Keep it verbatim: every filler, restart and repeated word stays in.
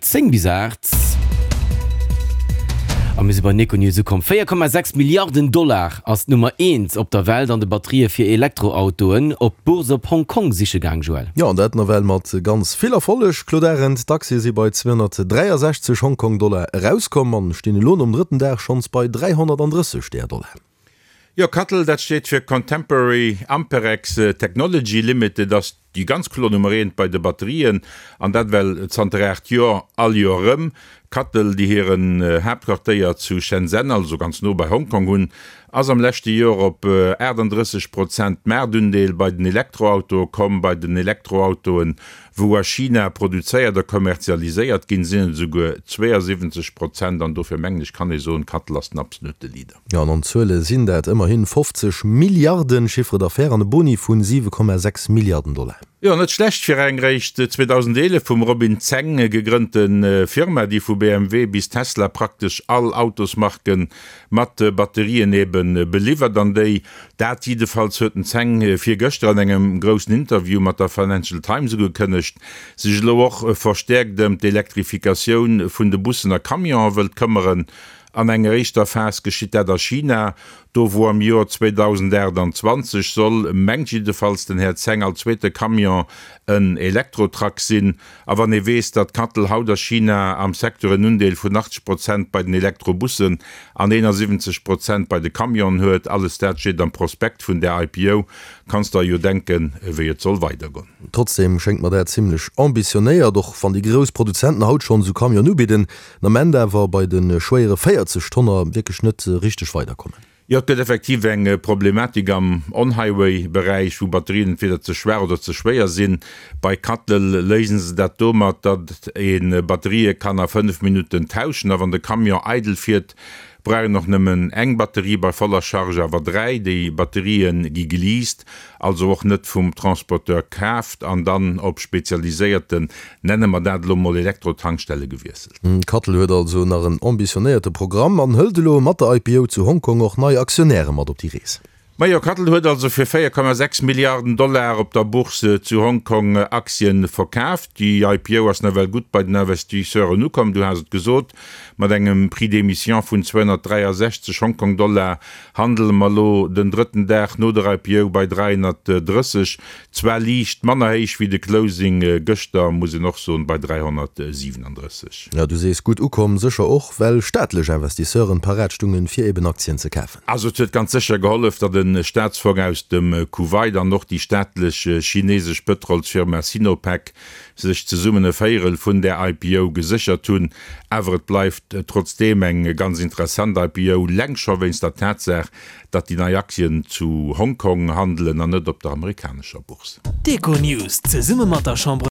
zéng bis aacht. A mir si bei Econews ukomm. véier Komma sechs Milliarden Dollar ass d'Nummer eent op der Welt an de Batterië fir Elektroautoen op d'Bourse op Hong Kong siche gaang, Joël. Jo, an dat nawell mat ganz vill Erfolleg, Claude Arend. D'Aktie si bei zweehonnertdräiasechzeg Hongkong-Dollar erauskomm an stinn elo nom drëtten Dag schonns bei dräihonnertandrësseg där Dollar. Jo, CATL, dat steet fir Contemporary Amperex Technology Limited, ass déi ganz kloer Nummer eent bei de Batterien, an dat well zanter aacht Joer all Joer erëm. CATL, déi hiren Haaptquartéier zu Shenzhen, also ganz no bei Hongkong hunn, ass am leschte Joer op aachtanddrësseg Prozent Maartundeel bei den Elektroautoe komm. Bei den Elektroautoen, wou a China produzéiert a kommerzialiséiert ginn, sinn et esouguer zweeënsiwwenzeg Prozent. An dofir mengen ech, kann ee soen, CATL ass den absolute Leader. Jo, an an Zuele sinn dat ëmmerhi fofzeg Milliarden Chiffre d'affaires an e Boni vu siwe Komma sechs Milliarden Dollar. Jo, net schlecht fir eng réischt zweedausendeenef vum Robin Zeng gegrënnte Firma, déi vu B M W bis Tesla praktesch all Autosmarke mat Batterien ebe beliwwert an déi, dat jiddefalls huet den Zeng virgëschter an engem groussen Interview mat der Financial Times ugekënnegt, sech elo och verstäerkt ëm d'Elektrifikatioun vun de Bussen a Camionen wëllt këmmeren. An enger éischter Phas geschitt dat a China, do wou am Joer zweedausendaachtanzwanzeg soll, mengt jiddefalls den Här Zeng, all zweete Camion en Elektrotruck sinn. A wann ee weess, datt Cattel haut a China am Secteur en Undeel vun achtzeg Prozent bei den Elektrobussen an eenasiwwenzeg Prozent bei de Camionen huet, alles dat steet am Prospekt vun där I P O, kanns der jo denken, wéi et soll weidergoen. Trotzdem schéngt mer dat zimlech ambitionéiert, och wann déi grouss Produzenten haut schonn esou Camionen ubidden, den Ament awer bei de schwéiere véierzeg Tonner wierklech net richteg weiderkommen. Jo, et gëtt effektiv eng Problematik am On-Highway-Beräich, wou Batterien entweder ze schwaach oder ze schwéier sinn. Bei Cattel léisen se dat domat, datt ee Batterië kann a fënnef Minutten tauschen a wann de Camion eidel fiert, brauch een och nëmmen eng Batterie, bei voller Charge awer dräi. Déi Batterië gi geleast, also och net vum Transporteur kaaft, an dann op spezialiséierten, nenne mer dat elo mol, Elektrotankstelle gewiesselt. Cattel huet also nach en ambitionéierte Programm an hëlt elo mat der I P O zu Hongkong och nei Aktionäre mat op déi Rees. Majo, Cattel huet also fir véier Komma sechs Milliarden Dollar op der Bourse zu Hongkong Aktien verkaaft. Déi I P O ass nawell gutt bei den Investisseuren ukomm, du has et gesot, mat engem Prix d'émission vun zweehonnertdräiasechzeg Hongkong-Dollar handele mer elo den drëtten Dag no der I P O bei dräihonnertdrësseg, zwar liicht manner héich wéi de Closing gëschter, muss een och soen, bei dräihonnertsiwenandrësseg. Jo, du sees gutt ukomm, sécher och well staatlech Investisseuren parat stungen, fir eben Aktien ze kafen. Also et huet ganz sécher gehollef, datt e Staatsfong aus dem Kuwait an och déi staatlech chinesesch Pëtrolsfirma Sinopec sech zesummen e Véierel vun där I P O geséchert hunn. Awer et bleift trotzdeem eng ganz interessant I P O, leng scho wéinst der Tatsaach, datt déi nei Aktien zu Hongkong handelen an net op der amerikanescher Bourse. D'Econews zesumme mat der Chambre